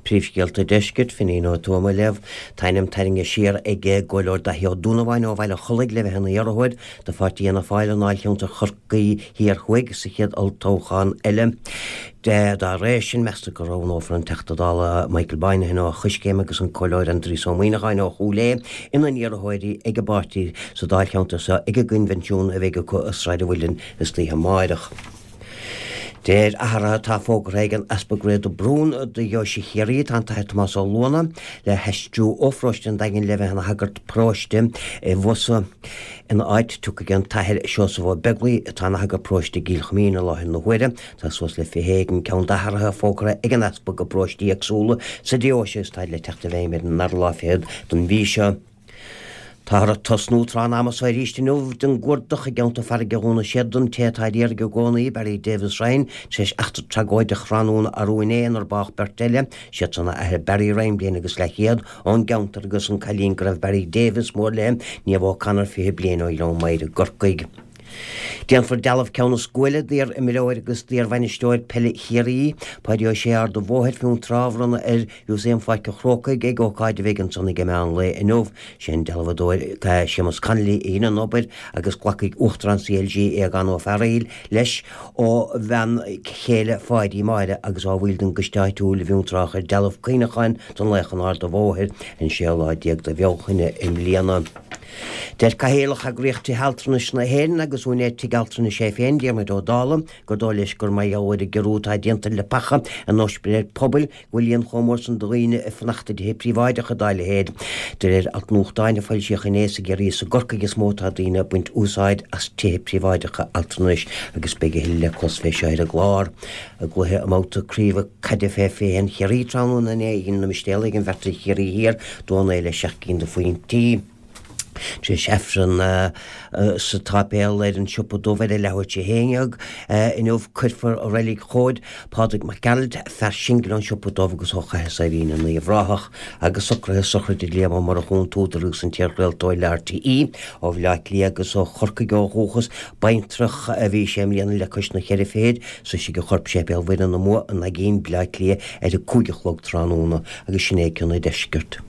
Príomhscéalta an Deiscirt, Finín Ó Tuama á léamh. Tá a ainm tarraingthe siar ag an gComhairleoir Daithí Ó Donnabháin ó Bhaile an Chollaigh le bheith ina iarrthóir do pháirtí Fhianna Fáil i ndáilcheantar Chorcaí Thiar Thuaidh sa chéad olltoghchán eile. Dá réir sin, meastar go roghnófar an Teachta Dála Michael Moynihan ó Choiscéim agus an Comhairleoir Aindrias Ó Muimhneacháin ó Chúil Aodha ina n-iarrthóirí ag an bpáirtí sa dáilcheantar seo ag an gcoinbhinsiún a bheidh acu i Sráid an Mhuilinn istoíche amáireach. De réir athraithe atá fógartha ag an Easpag Ray de Brún do Dheoise Chiarraí, tá an tAthair Tomás Ó Luanna le haistriú ó pharóiste an Daingin le bheith ina shagart paróiste i bhFosadh. Ina áit, tiocfaidh an tAthair Seosamh Ó Beaglaoi, atá ina shagart paróiste i gCill Choimín i láthair na huaire. Tá suas le 20 éigin ceann d'athruithe fógartha ag an Easpag i bparóistí éagsúla sa deoise is táid le teacht i bhfeidhm ar an dara lá fichead den mhí seo. Táthar ag tosnú tráth an ama so arís inniu den gcuardach i gceantar farraige Dhún na Séad don té atá ar iarraidh i gcónaí, Barry Davis Ryan, tar éis eachtra tragóideach thráthnóna arú inné inar bádh beirt eile, siadsan a athair Barry Ryan, bliain agus leathchéad, ón gceantar agus an cailín go raibh Barry Davis mór léi, Niamh O'Connor, 20 bliain ó Ghleann Maghair i gCorcaigh. Déanfar dealbh ceann is guaille d'iar-imreoir agus d'iar-bhainisteoir peile Chiarraí, Páidí Ó Sé Ard an Bhóthair, Fionntrá, a bhronnadh ar Mhúsaem Pháirc an Chrócaigh ag ócáid a bheidh ansan ag meán lae inniu. Sé an dealbhadóir Séamus Connolly a dhein an obair agus glacfaidh Uachtarán CLG Aogán Ó Fearghaíl leis ó bhean chéile Pháidí, Máire, agus ó bhaill den gcoiste áitiúil i bhFionntrá a chuir dealbh cuimhneacháin don laoch in Ard an Bhóthair an séú lá déag de Bhealtaine i mbliana. Deir Cathaoirleach Eagraíocht Tithe Altranais na hÉireann agus úinéir tigh altranais é féin, Diarmuid Ó Dálaigh, gur dóigh leis gur mar gheall ar an gciorrú atá déanta ar leapacha in ospidéil pobail go bhfuil líon chomh mór san de dhaoine ag fanacht i dtithe príobháideacha dá leithéid. De réir alt nuachtáin a foilsíodh inné is i gCiarraí is i gCorcaigh is mó atá daoine ag baint úsáid as tithe príobháideacha altranais agus beidh a thuilleadh le clos fé seo ar an gclár. I gcluiche i mbabhta craoibhe caide fé 21 Chiarraí tráthnóna inné dhein na Mistéalaigh an bheart ar Chiarraí Thiar 2-9 le 7 gcinn de phointí. Tar éis Aifreann sa tsáipéal ar an Siopa Dubh ar a leathuair tar éis a 11 inniu, cuirfear i Reilig Chomhaid Pádraig Mac Gearailt, fear singil ón Siopa Dubh agus ó Chathair Saidhbhín i nUíbh Ráthach, agus socruithe sochraide Liam Ó Murchú, an t-údar agus an t-iarchraoltóir le RTÉ, ó Bhaile Átha Cliath agus ó Chorcaigh ó dhúchas. Baintreach a bhí sé mbliana le cois na cheithre fichid. Sroisfidh a chorp Séipéal Mhuire na Mumha i nDaigín, Baile Átha Cliath ar a 5 a chlog tráthnóna agus sin é cionn an deiscirt.